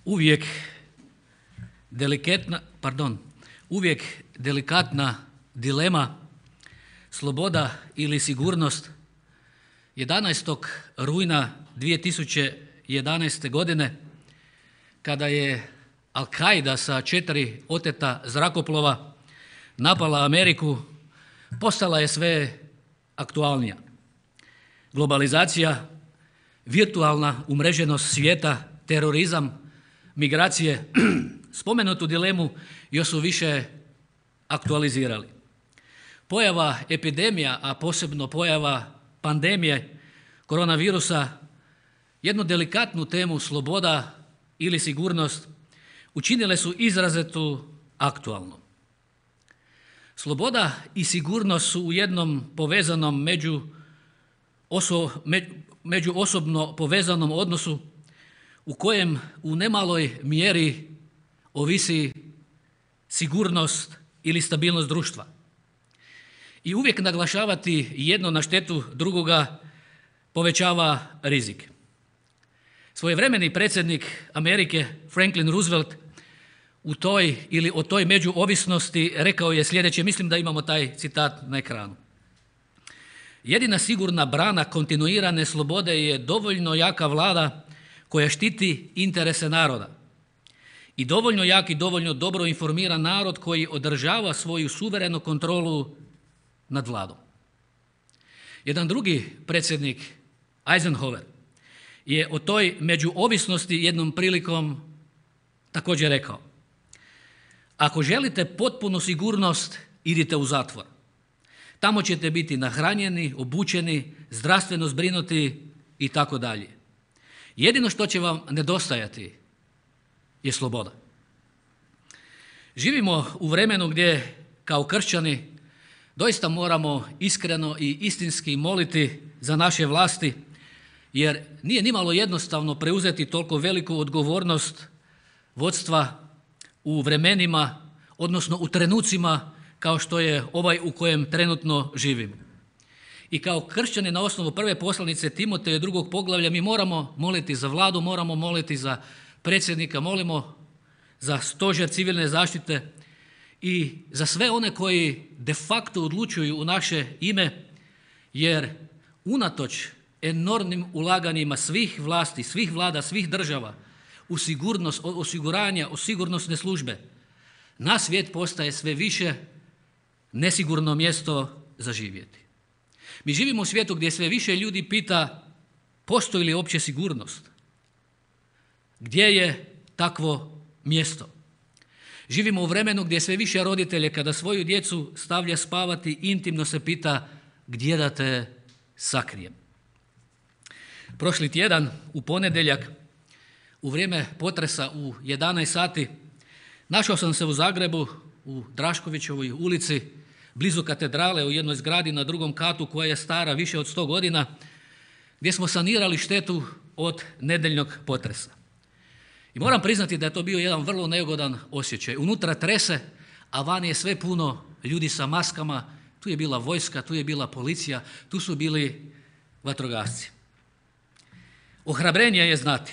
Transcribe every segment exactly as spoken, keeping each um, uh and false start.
uvijek delikatna, pardon, uvijek delikatna dilema sloboda ili sigurnost. jedanaestog rujna dvije tisuće jedanaeste. godine kada je Al-Qaida sa četiri oteta zrakoplova napala Ameriku, postala je sve aktualnija. Globalizacija, virtualna umreženost svijeta, terorizam, migracije, spomenutu dilemu još su više aktualizirali. Pojava epidemija, a posebno pojava pandemije koronavirusa, jednu delikatnu temu sloboda ili sigurnost učinile su izrazito aktualno. Sloboda i sigurnost su u jednom povezanom među, oso, među osobno povezanom odnosu u kojem u nemaloj mjeri ovisi sigurnost ili stabilnost društva. I uvijek naglašavati jedno na štetu drugoga povećava rizik. Svojevremeni predsjednik Amerike Franklin Roosevelt u toj ili o toj međuovisnosti rekao je sljedeće, mislim da imamo taj citat na ekranu. Jedina sigurna brana kontinuirane slobode je dovoljno jaka vlada koja štiti interese naroda i dovoljno jak i dovoljno dobro informiran narod koji održava svoju suverenu kontrolu nad vladom. Jedan drugi predsjednik, Eisenhower, je o toj međuovisnosti jednom prilikom također rekao: ako želite potpunu sigurnost, idite u zatvor. Tamo ćete biti nahranjeni, obučeni, zdravstveno zbrinuti i tako dalje. Jedino što će vam nedostajati je sloboda. Živimo u vremenu gdje kao kršćani doista moramo iskreno i istinski moliti za naše vlasti, jer nije nimalo jednostavno preuzeti toliko veliku odgovornost vodstva u vremenima, odnosno u trenucima kao što je ovaj u kojem trenutno živimo. I kao kršćani na osnovu prve poslanice Timoteja drugog poglavlja mi moramo moliti za vladu, moramo moliti za predsjednika, molimo za stožer civilne zaštite i za sve one koji de facto odlučuju u naše ime, jer unatoč enormnim ulaganjima svih vlasti, svih vlada, svih država u sigurnost, osiguranja, u sigurnosne službe, naš svijet postaje sve više nesigurno mjesto za živjeti. Mi živimo u svijetu gdje sve više ljudi pita postoji li uopće sigurnost? Gdje je takvo mjesto? Živimo u vremenu gdje sve više roditelje kada svoju djecu stavlja spavati intimno se pita gdje da te sakrijem. Prošli tjedan u ponedjeljak u vrijeme potresa u jedanaest sati našao sam se u Zagrebu u Draškovićevoj ulici blizu katedrale u jednoj zgradi na drugom katu koja je stara više od sto godina, gdje smo sanirali štetu od nedjeljnog potresa. I moram priznati da je to bio jedan vrlo neugodan osjećaj. Unutra trese, a van je sve puno ljudi sa maskama, tu je bila vojska, tu je bila policija, tu su bili vatrogasci. Ohrabrenje je znati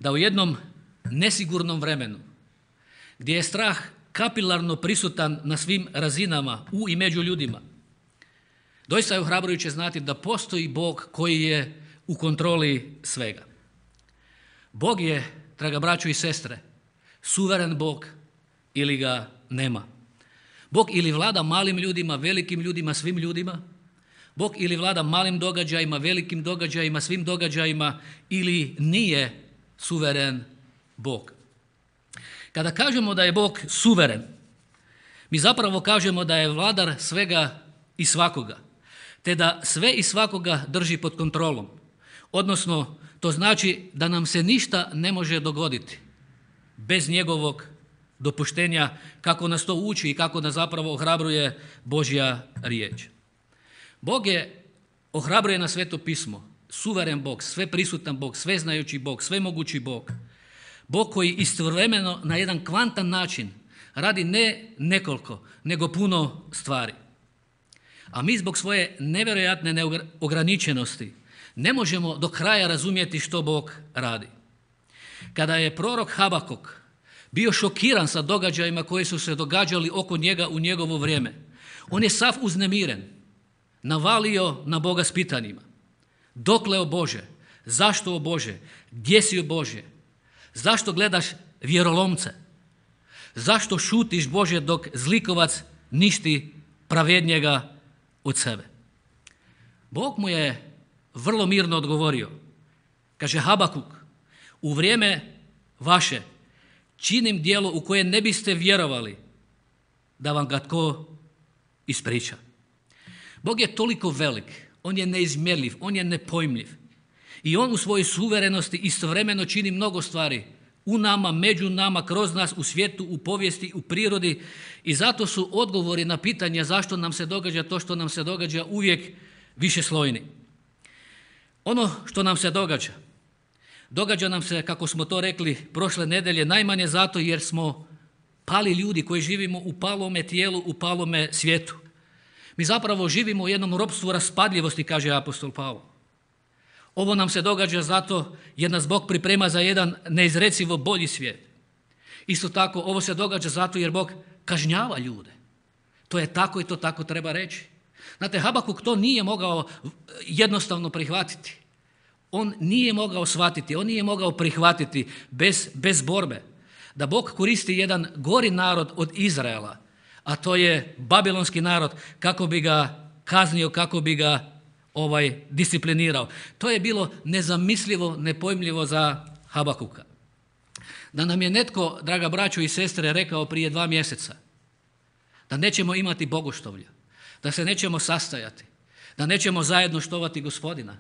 da u jednom nesigurnom vremenu, gdje je strah kapilarno prisutan na svim razinama, u i među ljudima, doista je ohrabrujuće znati da postoji Bog koji je u kontroli svega. Bog je, draga braćo i sestre, suveren Bog ili ga nema. Bog ili vlada malim ljudima, velikim ljudima, svim ljudima. Bog ili vlada malim događajima, velikim događajima, svim događajima, ili nije suveren Bog. Kada kažemo da je Bog suveren, mi zapravo kažemo da je vladar svega i svakoga, te da sve i svakoga drži pod kontrolom. Odnosno, to znači da nam se ništa ne može dogoditi bez njegovog dopuštenja, kako nas to uči i kako nas zapravo ohrabruje Božja riječ. Bog je ohrabruje na Sveto pismo, suveren Bog, sveprisutan Bog, sveznajući Bog, svemogući Bog. Bog koji istovremeno na jedan kvantan način radi ne nekoliko, nego puno stvari. A mi zbog svoje nevjerojatne neograničenosti ne možemo do kraja razumjeti što Bog radi. kada je prorok Habakuk bio šokiran sa događajima koji su se događali oko njega u njegovo vrijeme, on je sav uznemiren, navalio na Boga s pitanjima. Dokle, o Bože? Zašto, o Bože? Gdje si, o Bože? Zašto gledaš vjerolomce? Zašto šutiš, Bože, dok zlikovac ništi pravednjega od sebe? Bog mu je vrlo mirno odgovorio. Kaže Habakuk, u vrijeme vaše činim djelo u koje ne biste vjerovali da vam ga tko ispriča. Bog je toliko velik, on je neizmjerljiv, on je nepojmljiv. I on u svojoj suverenosti istovremeno čini mnogo stvari u nama, među nama, kroz nas, u svijetu, u povijesti, u prirodi. I zato su odgovori na pitanja zašto nam se događa to što nam se događa uvijek višeslojni. Ono što nam se događa, događa nam se, kako smo to rekli prošle nedelje, najmanje zato jer smo pali ljudi koji živimo u palome tijelu, u palome svijetu. Mi zapravo živimo u jednom ropstvu raspadljivosti, kaže apostol Pavao. Ovo nam se događa zato jer nas Bog priprema za jedan neizrecivo bolji svijet. Isto tako, ovo se događa zato jer Bog kažnjava ljude. To je tako i to tako treba reći. Znate, Habakuk to nije mogao jednostavno prihvatiti. On nije mogao shvatiti, on nije mogao prihvatiti bez, bez borbe da Bog koristi jedan gori narod od Izraela, a to je babilonski narod, kako bi ga kaznio, kako bi ga ovaj disciplinirao. To je bilo nezamislivo, nepojmljivo za Habakuka. Da nam je netko, draga braćo i sestre, rekao prije dva mjeseca da nećemo imati bogoštovlja, da se nećemo sastajati, da nećemo zajedno štovati Gospodina,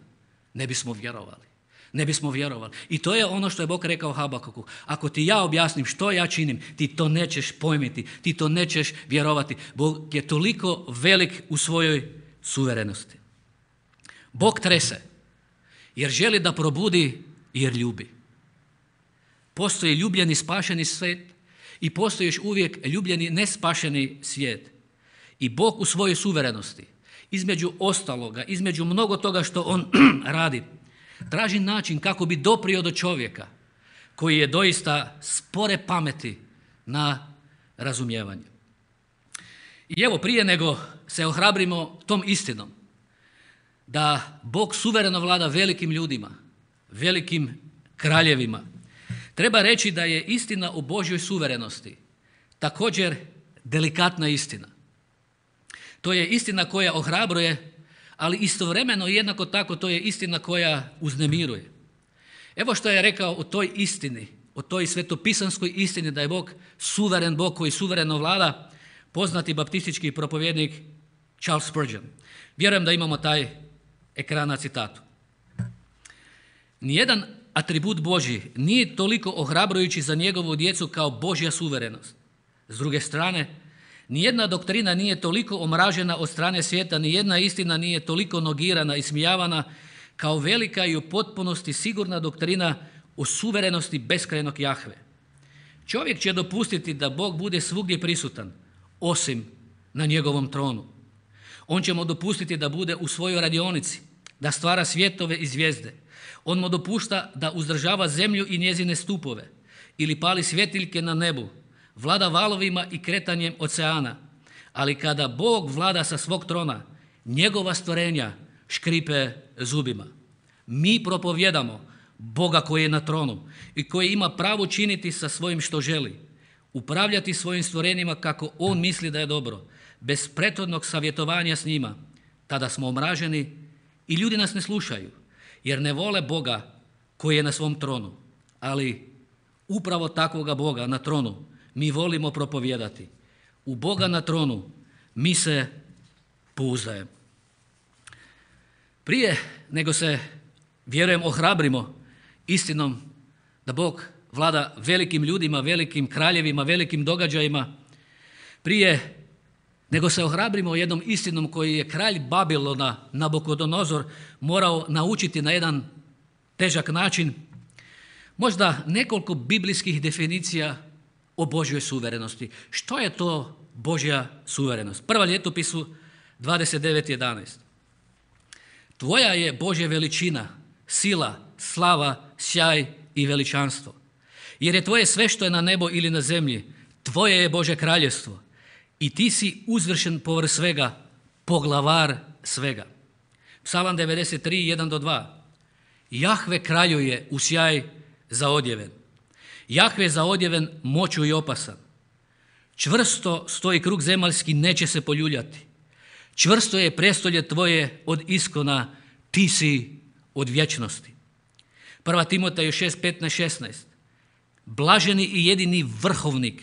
ne bismo vjerovali. Ne bismo vjerovali. I to je ono što je Bog rekao Habakuku. Ako ti ja objasnim što ja činim, ti to nećeš pojmiti, ti to nećeš vjerovati. Bog je toliko velik u svojoj suverenosti. Bog trese jer želi da probudi, jer ljubi. Postoji ljubljeni spašeni svijet i postoji još uvijek ljubljeni nespašeni svijet. I Bog u svojoj suverenosti, između ostaloga, između mnogo toga što on radi, traži način kako bi doprio do čovjeka koji je doista spore pameti na razumijevanje. I evo, prije nego se ohrabrimo tom istinom da Bog suvereno vlada velikim ljudima, velikim kraljevima, treba reći da je istina o Božjoj suverenosti također delikatna istina. To je istina koja ohrabruje, ali istovremeno jednako tako to je istina koja uznemiruje. Evo što je rekao o toj istini, o toj svetopisanskoj istini da je Bog suveren Bog koji suvereno vlada, poznati baptistički propovjednik Charles Spurgeon. Vjerujem da imamo taj ekran na citatu. Nijedan atribut Božji nije toliko ohrabrujući za njegovu djecu kao Božja suverenost. S druge strane, nijedna doktrina nije toliko omražena od strane svijeta, nijedna istina nije toliko nogirana i smijavana kao velika i u potpunosti sigurna doktrina o suverenosti beskrajnog Jahve. Čovjek će dopustiti da Bog bude svugdje prisutan, osim na njegovom tronu. On će mu dopustiti da bude u svojoj radionici, da stvara svjetove i zvijezde. On mu dopušta da uzdržava zemlju i njezine stupove ili pali svjetiljke na nebu, vlada valovima i kretanjem oceana. Ali kada Bog vlada sa svog trona, njegova stvorenja škripe zubima. Mi propovjedamo Boga koji je na tronu i koji ima pravo činiti sa svojim što želi, upravljati svojim stvorenjima kako on misli da je dobro, bez prethodnog savjetovanja s njima. Tada smo omraženi i ljudi nas ne slušaju, jer ne vole Boga koji je na svom tronu. Ali upravo takvoga Boga na tronu mi volimo propovijedati. U Boga na tronu mi se pouzdajemo. Prije nego se, vjerujem, ohrabrimo istinom da Bog vlada velikim ljudima, velikim kraljevima, velikim događajima, prije nego se ohrabrimo jednom istinom koji je kralj Babilona, Nabukodonozor, morao naučiti na jedan težak način, možda nekoliko biblijskih definicija o Božjoj suverenosti. Što je to Božja suverenost? Prva Ljetopisu dvadeset devet jedanaest. Tvoja je, Božja, veličina, sila, slava, sjaj i veličanstvo. jer je tvoje sve što je na nebo ili na zemlji, tvoje je Bože kraljevstvo i ti si uzvršen povrh svega, poglavar svega. Psalam devedeset tri, jedan do dva. Jahve kraljuje u sjaj zaodjeven. Jahve zaodjeven moću i opasan. Čvrsto stoji krug zemaljski, neće se poljuljati. Čvrsto je prestolje tvoje od iskona, ti si od vječnosti. Prva Timoteju šest, petnaest, šesnaest. Blaženi i jedini vrhovnik,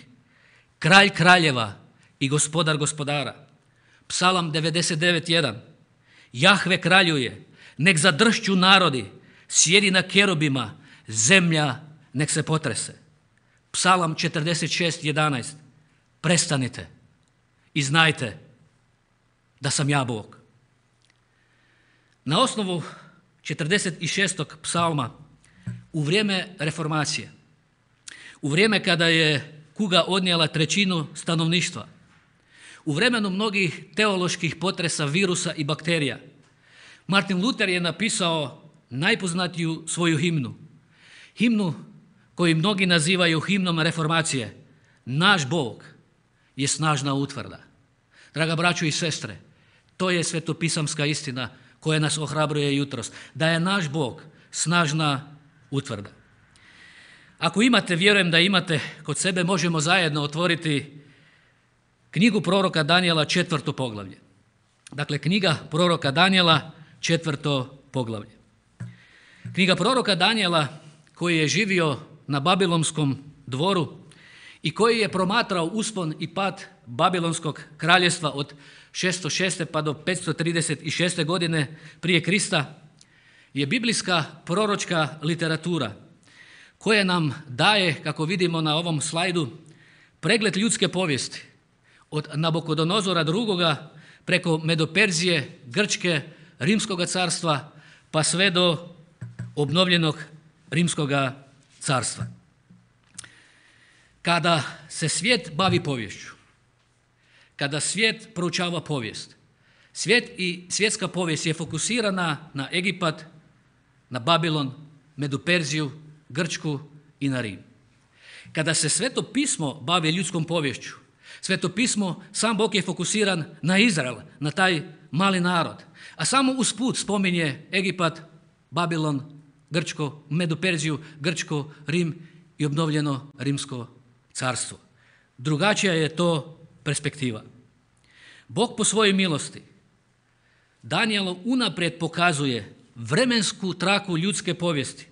kralj kraljeva i gospodar gospodara. Psalam devedeset devet, jedan. Jahve kraljuje, nek zadršću narodi, sjedi na kerubima, zemlja nek se potrese. Psalam četrdeset šest, jedanaest. Prestanite i znajte da sam ja Bog. Na osnovu četrdeset šestog psalma u vrijeme reformacije, u vrijeme kada je kuga odnijela trećinu stanovništva, u vremenu mnogih teoloških potresa virusa i bakterija, Martin Luther je napisao najpoznatiju svoju himnu. Himnu koju mnogi nazivaju himnom reformacije. Naš Bog je snažna utvrda. Draga braćo i sestre, to je svetopisamska istina koja nas ohrabruje jutros. Da je naš Bog snažna utvrda. Ako imate, vjerujem da imate kod sebe, možemo zajedno otvoriti knjigu proroka Danijela, četvrto poglavlje. Dakle, knjiga proroka Danijela, četvrto poglavlje. Knjiga proroka Danijela koji je živio na Babilonskom dvoru i koji je promatrao uspon i pad Babilonskog kraljestva od šesto šeste pa do petsto trideset šeste godine prije Krista, je biblijska proročka literatura koja nam daje, kako vidimo na ovom slajdu, pregled ljudske povijesti od Nabukodonozora drugoga preko Medoperzije, Grčke, Rimskoga carstva pa sve do obnovljenog Rimskoga carstva. Kada se svijet bavi poviješću, kada svijet proučava povijest, svijet i svjetska povijest je fokusirana na Egipat, na Babilon, Medoperziju, Grčku i na Rim. Kada se Sveto pismo bavi ljudskom poviješću, Sveto pismo, sam Bog je fokusiran na Izrael, na taj mali narod, a samo usput spominje Egipat, Babilon, Grčko, Medoperziju, Grčko, Rim i obnovljeno Rimsko carstvo. Drugačija je to perspektiva. Bog po svojoj milosti Danijelu unaprijed pokazuje vremensku traku ljudske povijesti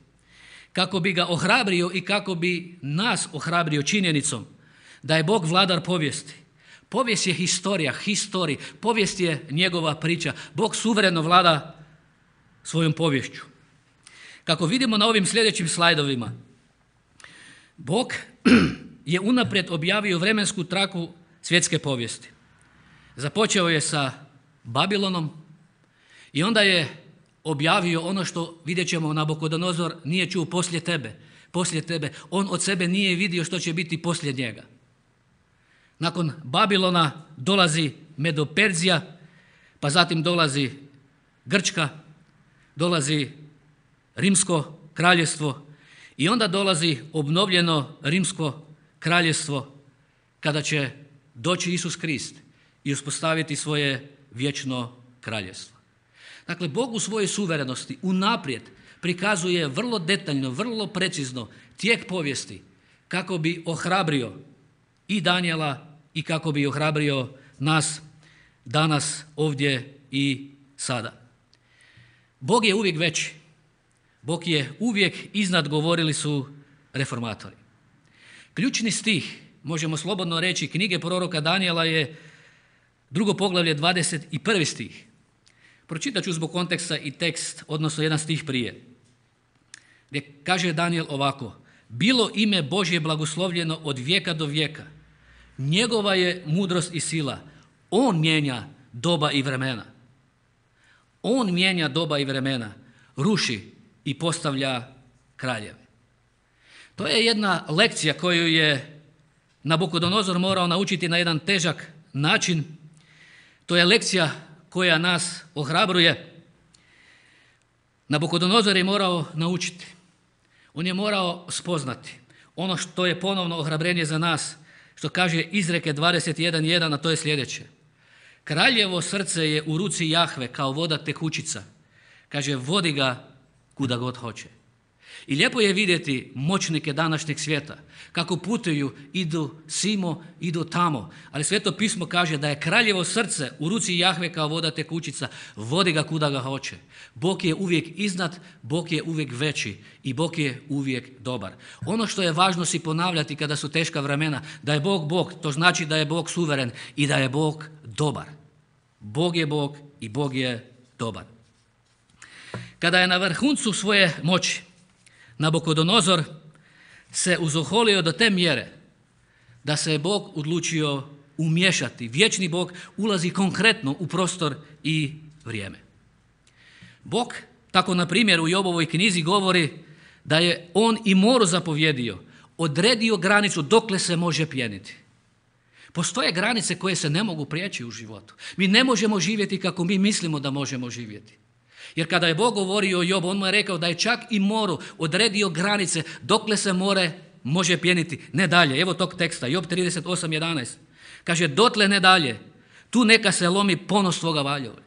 kako bi ga ohrabrio i kako bi nas ohrabrio činjenicom da je Bog vladar povijesti. Povijest je historija, histori, povijest je njegova priča. Bog suvereno vlada svojom poviješću. Kako vidimo na ovim sljedećim slajdovima, Bog je unaprijed objavio vremensku traku svjetske povijesti. Započeo je sa Babilonom i onda je objavio ono što, vidjet ćemo, Nabukodonozor nije čuo poslije tebe. Poslije tebe. On od sebe nije vidio što će biti poslije njega. Nakon Babilona dolazi Medoperzija, pa zatim dolazi Grčka, dolazi Rimsko kraljevstvo i onda dolazi obnovljeno Rimsko kraljevstvo kada će doći Isus Krist i uspostaviti svoje vječno kraljevstvo. Dakle, Bog u svojoj suverenosti unaprijed prikazuje vrlo detaljno, vrlo precizno tijek povijesti kako bi ohrabrio i Danijela i kako bi ohrabrio nas danas, ovdje i sada. Bog je uvijek veći. Bog je uvijek iznad, govorili su reformatori. Ključni stih, možemo slobodno reći, knjige proroka Danijela je drugo poglavlje, dvadeset prvi stih. Pročitat ću zbog konteksta i tekst, odnosno jedan stih prije, gdje kaže Danijel ovako: bilo ime Božje blagoslovljeno od vijeka do vijeka. Njegova je mudrost i sila. On mijenja doba i vremena. On mijenja doba i vremena, ruši i postavlja kraljeve. To je jedna lekcija koju je Nabukodonozor morao naučiti na jedan težak način. To je lekcija koja nas ohrabruje. Nabukodonozor je morao naučiti. On je morao spoznati. ono što je ponovno ohrabrenje za nas, što kaže Izreke dvadeset jedan jedan, a to je sljedeće. Kraljevo srce je u ruci Jahve kao voda tekućica. Kaže, vodi ga kuda god hoće. I lijepo je vidjeti moćnike današnjeg svijeta, kako putuju, idu simo, idu tamo. Ali Sveto pismo kaže da je kraljevo srce u ruci Jahve kao voda tekućica, vodi ga kuda ga hoće. Bog je uvijek iznad, Bog je uvijek veći i Bog je uvijek dobar. Ono što je važno si ponavljati kada su teška vremena, da je Bog Bog, to znači da je Bog suveren i da je Bog dobar. Bog je Bog i Bog je dobar. Kada je na vrhuncu svoje moći, Nabukodonozor se uzoholio do te mjere da se je Bog odlučio umiješati. Vječni Bog ulazi konkretno u prostor i vrijeme. Bog, tako na primjer u Jobovoj knjizi govori da je on i moru zapovjedio, odredio granicu dokle se može pjeniti. Postoje granice koje se ne mogu prijeći u životu. Mi ne možemo živjeti kako mi mislimo da možemo živjeti. Jer kada je Bog govorio o Jobu, on mu je rekao da je čak i moru odredio granice dokle se more može pjeniti, ne dalje. Evo tog teksta, Job trideset osam jedanaest. Kaže, dotle ne dalje, tu neka se lomi ponos svoga valjova.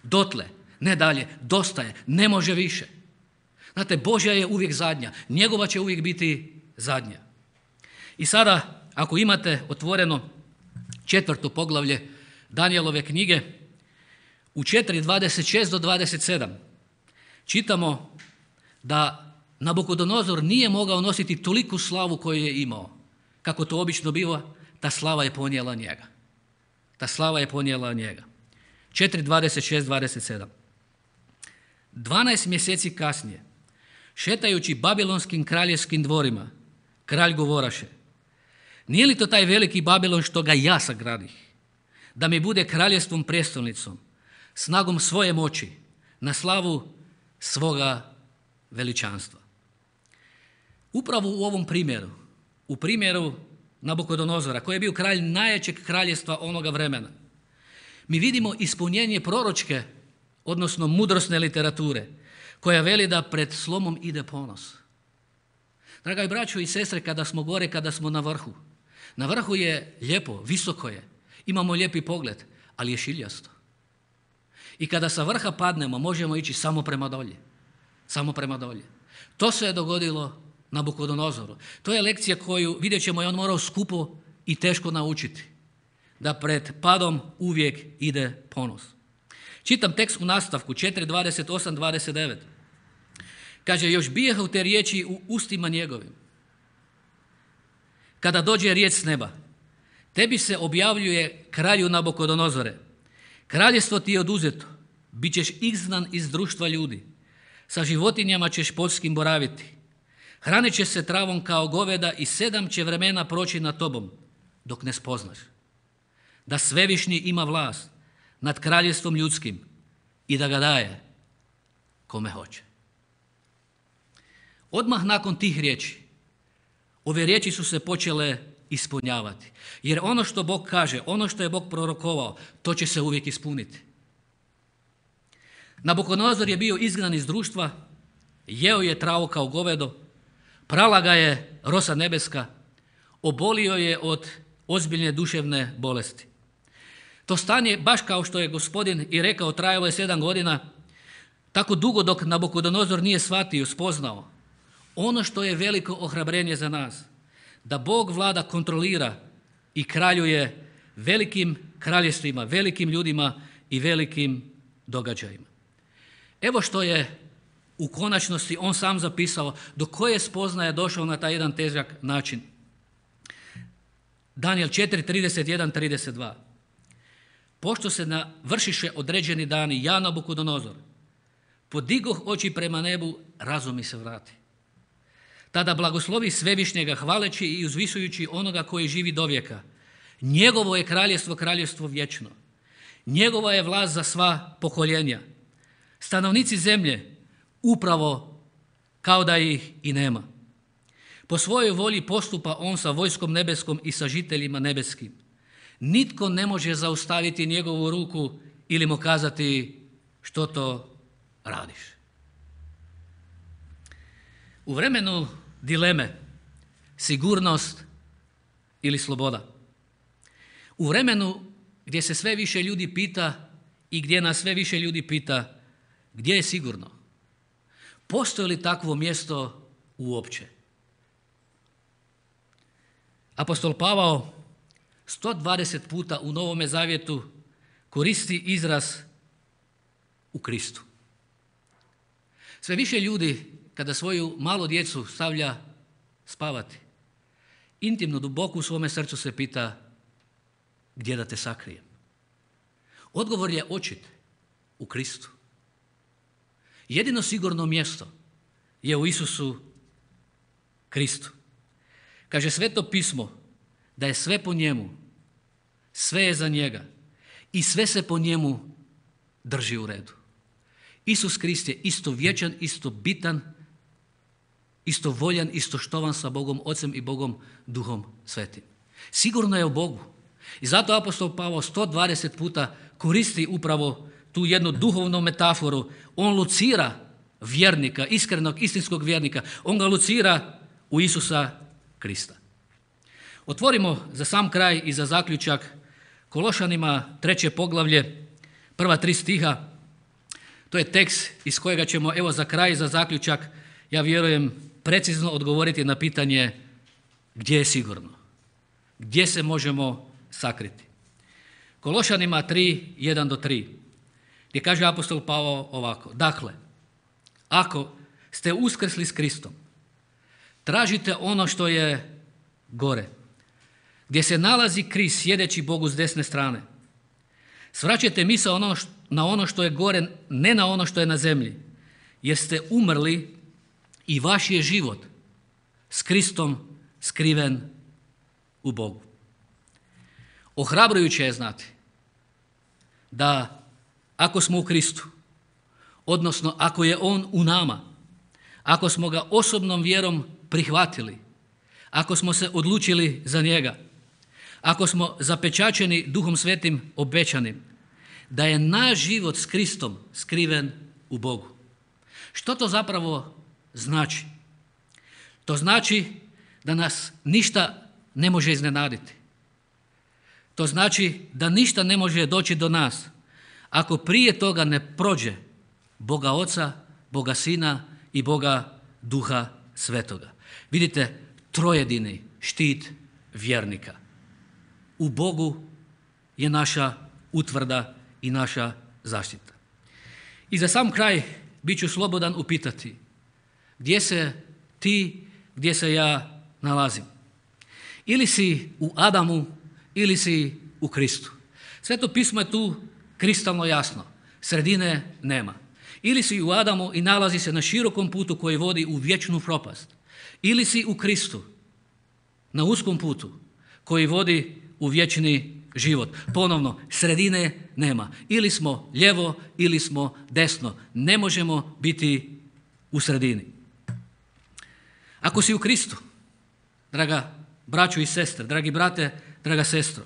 Dotle, ne dalje, dosta je, ne može više. Znate, Božja je uvijek zadnja, njegova će uvijek biti zadnja. I sada, ako imate otvoreno četvrto poglavlje Danijelove knjige, u četiri dvadeset šest do dvadeset sedam čitamo da Nabukodonozor nije mogao nositi toliku slavu koju je imao. Kako to obično biva, ta slava je ponijela njega. Ta slava je ponijela njega. četiri dvadeset šest do dvadeset sedam. Dvanaest mjeseci kasnije, šetajući babilonskim kraljevskim dvorima, kralj govoraše, nije li to taj veliki Babilon što ga ja sagradih, da mi bude kraljevstvom prijestolnicom, snagom svoje moći, na slavu svoga veličanstva. Upravo u ovom primjeru, u primjeru Nabukodonozora, koji je bio kralj najjačeg kraljevstva onoga vremena, mi vidimo ispunjenje proročke, odnosno mudrosne literature, koja veli da pred slomom ide ponos. Draga braćo i sestre, kada smo gore, kada smo na vrhu, na vrhu je lijepo, visoko je, imamo lijepi pogled, ali je šiljasto. I kada sa vrha padnemo, možemo ići samo prema dolje. Samo prema dolje. To se je dogodilo Nabukodonozoru. To je lekcija koju, vidjet ćemo, je on morao skupo i teško naučiti. Da pred padom uvijek ide ponos. Čitam tekst u nastavku, četiri dvadeset osam do dvadeset devet. Kaže, još bijehu te riječi u ustima njegovim. Kada dođe riječ s neba, tebi se objavljuje kralju Nabukodonozore. Kraljevstvo ti je oduzeto, bit ćeš izgnan iz društva ljudi, sa životinjama ćeš poljskim boraviti. Hranit će se travom kao goveda i sedam će vremena proći nad tobom, dok ne spoznaš da Svevišnji ima vlast nad kraljevstvom ljudskim i da ga daje kome hoće. Odmah nakon tih riječi, ove riječi su se počele ispunjavati. Jer ono što Bog kaže, ono što je Bog prorokovao, to će se uvijek ispuniti. Nabukodonozor je bio izgnan iz društva, jeo je travu kao govedo, prala ga je rosa nebeska, obolio je od ozbiljne duševne bolesti. To stanje, baš kao što je Gospodin i rekao, trajalo je sedam godina, tako dugo dok Nabukodonozor nije shvatio, spoznao ono što je veliko ohrabrenje za nas, da Bog vlada, kontrolira i kraljuje velikim kraljevstvima, velikim ljudima i velikim događajima. Evo što je u konačnosti on sam zapisao, do koje spoznaje došao na taj jedan težak način. Danijel četiri trideset jedan do trideset dva. Pošto se navršiše određeni dani, ja Nabukodonozor podigoh oči prema nebu, razum mi se vrati. Tada blagoslovi Svevišnjega hvaleći i uzvisujući onoga koji živi do vijeka. Njegovo je kraljevstvo, kraljevstvo vječno. Njegova je vlast za sva pokoljenja. Stanovnici zemlje upravo kao da ih i nema. Po svojoj volji postupa on sa vojskom nebeskom i sa žiteljima nebeskim. Nitko ne može zaustaviti njegovu ruku ili mu kazati što to radiš. U vremenu dileme, sigurnost ili sloboda. U vremenu gdje se sve više ljudi pita i gdje nas sve više ljudi pita gdje je sigurno, postoji li takvo mjesto uopće? Apostol Pavao sto dvadeset puta u Novome Zavjetu koristi izraz u Kristu. Sve više ljudi kada svoju malu djecu stavlja spavati, intimno, duboko u svome srcu se pita gdje da te sakrijem. Odgovor je očit, u Kristu. Jedino sigurno mjesto je u Isusu Kristu. Kaže Sveto pismo da je sve po njemu, sve je za njega i sve se po njemu drži u redu. Isus Krist je isto vječan, isto bitan, isto voljan, isto štovan sa Bogom Ocem i Bogom Duhom Svetim. Sigurno je u Bogu. I zato apostol Pavao sto dvadeset puta koristi upravo tu jednu duhovnu metaforu. On lucira vjernika, iskrenog, istinskog vjernika. On ga lucira u Isusa Krista. Otvorimo za sam kraj i za zaključak Kološanima treće poglavlje, prva tri stiha. To je tekst iz kojega ćemo, evo za kraj, za zaključak, ja vjerujem, precizno odgovoriti na pitanje gdje je sigurno, gdje se možemo sakriti. Kološanima tri, jedan do tri, gdje kaže apostol Pavao ovako: dakle, ako ste uskrsli s Kristom, tražite ono što je gore, gdje se nalazi Krist sjedeći Bogu s desne strane. Svraćajte misao ono na ono što je gore, ne na ono što je na zemlji, jer ste umrli i vaš je život s Kristom skriven u Bogu. Ohrabrujuće je znati da ako smo u Kristu, odnosno ako je On u nama, ako smo ga osobnom vjerom prihvatili, ako smo se odlučili za njega, ako smo zapečaćeni Duhom Svetim obećanim, da je naš život s Kristom skriven u Bogu. Što to zapravo znači? To znači da nas ništa ne može iznenaditi. To znači da ništa ne može doći do nas ako prije toga ne prođe Boga Oca, Boga Sina i Boga Duha Svetoga. Vidite, trojedini štit vjernika. U Bogu je naša utvrda i naša zaštita. I za sam kraj bit ću slobodan upitati gdje se ti, gdje se ja nalazim. Ili si u Adamu, ili si u Kristu. Sveto pismo je tu kristalno jasno. Sredine nema. Ili si u Adamu i nalazi se na širokom putu koji vodi u vječnu propast. Ili si u Kristu, na uskom putu koji vodi u vječni život. Ponovno, sredine nema. Ili smo lijevo, ili smo desno. Ne možemo biti u sredini. Ako si u Kristu, draga braćo i sestre, dragi brate, draga sestro,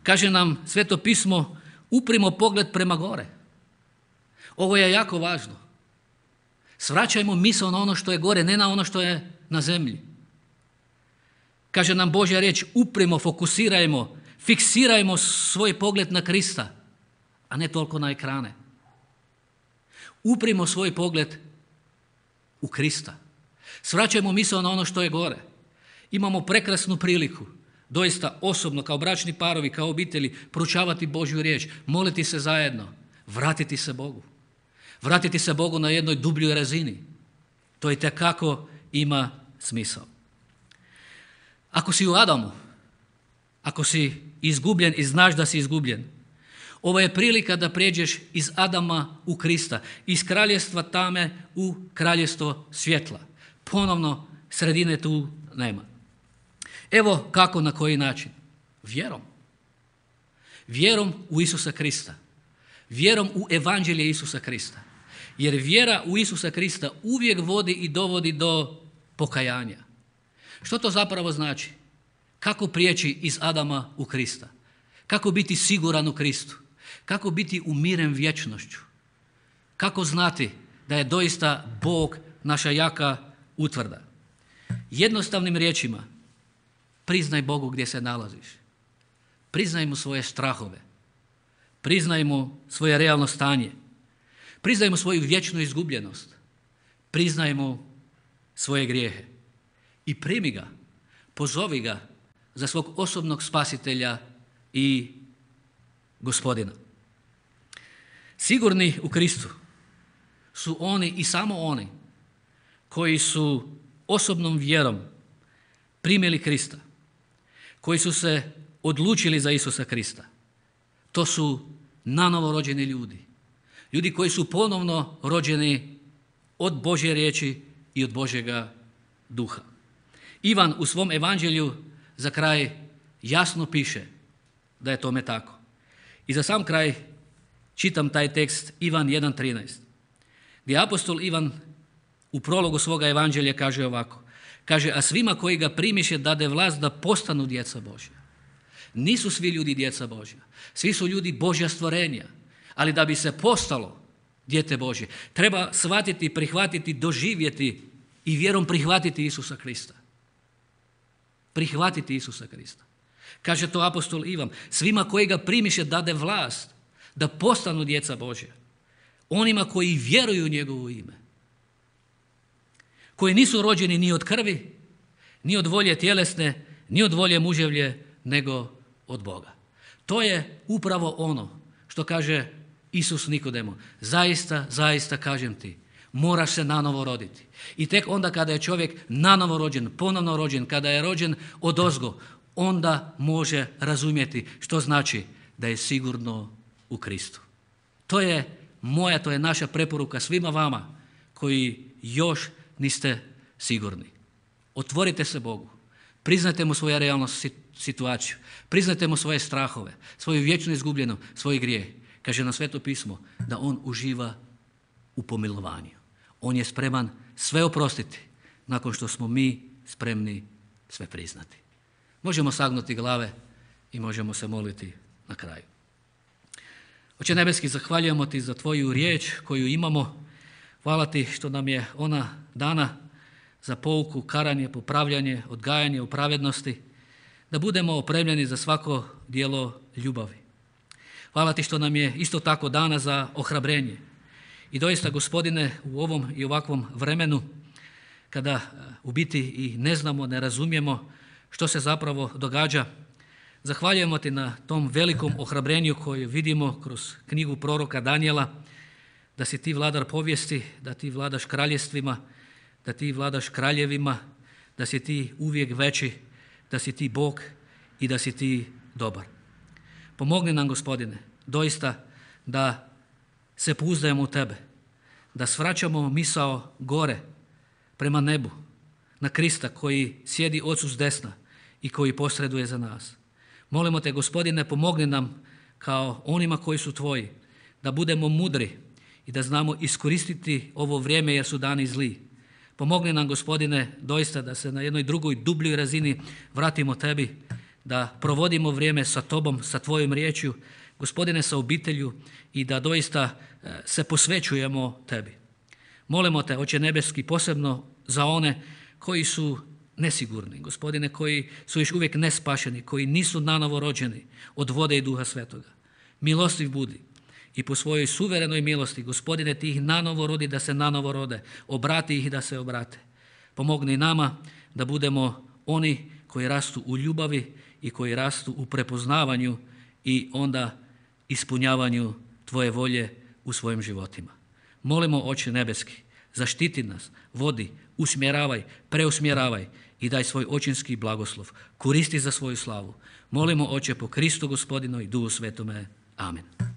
kaže nam Sveto pismo, uprimo pogled prema gore. Ovo je jako važno. Svraćajmo misao na ono što je gore, ne na ono što je na zemlji. Kaže nam Božja riječ, uprimo, fokusirajmo, fiksirajmo svoj pogled na Krista, a ne toliko na ekrane. Uprimo svoj pogled u Krista. Svraćajmo misao na ono što je gore. Imamo prekrasnu priliku, doista osobno, kao bračni parovi, kao obitelji, proučavati Božju riječ, moliti se zajedno, vratiti se Bogu. Vratiti se Bogu na jednoj dubljoj razini. To itekako ima smisao. Ako si u Adamu, ako si izgubljen i znaš da si izgubljen, ovo je prilika da prijeđeš iz Adama u Krista, iz kraljestva tame u kraljestvo svjetla. Ponovno, sredine tu nema. Evo kako, na koji način. Vjerom. Vjerom u Isusa Krista. Vjerom u evanđelje Isusa Krista. Jer vjera u Isusa Krista uvijek vodi i dovodi do pokajanja. Što to zapravo znači? Kako prijeći iz Adama u Krista? Kako biti siguran u Kristu? Kako biti umiren vječnošću? Kako znati da je doista Bog naša jaka utvrda? Jednostavnim riječima, priznaj Bogu gdje se nalaziš. Priznaj mu svoje strahove. Priznaj mu svoje realno stanje. Priznaj mu svoju vječnu izgubljenost. Priznaj mu svoje grijehe. I primi ga, pozovi ga za svog osobnog spasitelja i Gospodina. Sigurni u Kristu su oni i samo oni koji su osobnom vjerom primili Krista, koji su se odlučili za Isusa Krista. To su nanovo rođeni ljudi. Ljudi koji su ponovno rođeni od Božje riječi i od Božjega duha. Ivan u svom evanđelju za kraj jasno piše da je tome tako. I za sam kraj čitam taj tekst Ivan jedan trinaest, gdje apostol Ivan u prologu svoga evanđelja kaže ovako. Kaže, a svima koji ga primiše dade vlast da postanu djeca Božja. Nisu svi ljudi djeca Božja. Svi su ljudi Božja stvorenja. Ali da bi se postalo dijete Božje, treba shvatiti, prihvatiti, doživjeti i vjerom prihvatiti Isusa Krista. Prihvatiti Isusa Krista. Kaže to apostol Ivan. Svima koji ga primiše dade vlast da postanu djeca Božja. Onima koji vjeruju u njegovo ime. Koji nisu rođeni ni od krvi, ni od volje tjelesne, ni od volje muževlje, nego od Boga. To je upravo ono što kaže Isus Nikodemu. Zaista, zaista kažem ti, moraš se nanovo roditi. I tek onda kada je čovjek nanovo rođen, ponovno rođen, kada je rođen odozgo, onda može razumjeti što znači da je sigurno u Kristu. To je moja, to je naša preporuka svima vama koji još niste sigurni. Otvorite se Bogu. Priznajte mu svoju realnu situaciju. Priznajte mu svoje strahove, svoju vječnu izgubljenu, svoj grijeh. Kaže na Sveto pismo da on uživa u pomilovanju. On je spreman sve oprostiti nakon što smo mi spremni sve priznati. Možemo sagnuti glave i možemo se moliti na kraju. Oče nebeski, zahvaljujemo ti za tvoju riječ koju imamo. Hvala ti što nam je ona dana za pouku, karanje, popravljanje, odgajanje u pravednosti, da budemo opremljeni za svako djelo ljubavi. Hvala ti što nam je isto tako dana za ohrabrenje. I doista, Gospodine, u ovom i ovakvom vremenu, kada u biti i ne znamo, ne razumijemo što se zapravo događa, zahvaljujemo ti na tom velikom ohrabrenju koje vidimo kroz knjigu proroka Danijela, da si ti vladar povijesti, da ti vladaš kraljevstvima, da ti vladaš kraljevima, da si ti uvijek veći, da si ti Bog i da si ti dobar. Pomogni nam, Gospodine, doista da se pouzdajemo u tebe, da svraćamo misao gore prema nebu, na Krista koji sjedi Ocu s desna i koji posreduje za nas. Molimo te, Gospodine, pomogni nam kao onima koji su tvoji, da budemo mudri i da znamo iskoristiti ovo vrijeme jer su dani zli. Pomogni nam, Gospodine, doista da se na jednoj drugoj dubljoj razini vratimo tebi, da provodimo vrijeme sa tobom, sa tvojom riječju, Gospodine, sa obitelju i da doista se posvećujemo tebi. Molimo te, Oče nebeski, posebno za one koji su nesigurni, Gospodine, koji su još uvijek nespašeni, koji nisu nanovo rođeni od vode i Duha Svetoga. Milostiv budi i po svojoj suverenoj milosti, Gospodine, ti ih nanovo rodi da se nanovo rode, obrati ih da se obrate. Pomogni nama da budemo oni koji rastu u ljubavi i koji rastu u prepoznavanju i onda ispunjavanju tvoje volje u svojim životima. Molimo, Oče nebeski, zaštiti nas, vodi, usmjeravaj, preusmjeravaj i daj svoj očinski blagoslov. Koristi za svoju slavu. Molimo, Oče, po Kristu Gospodinu i Duhu Svetome. Amen.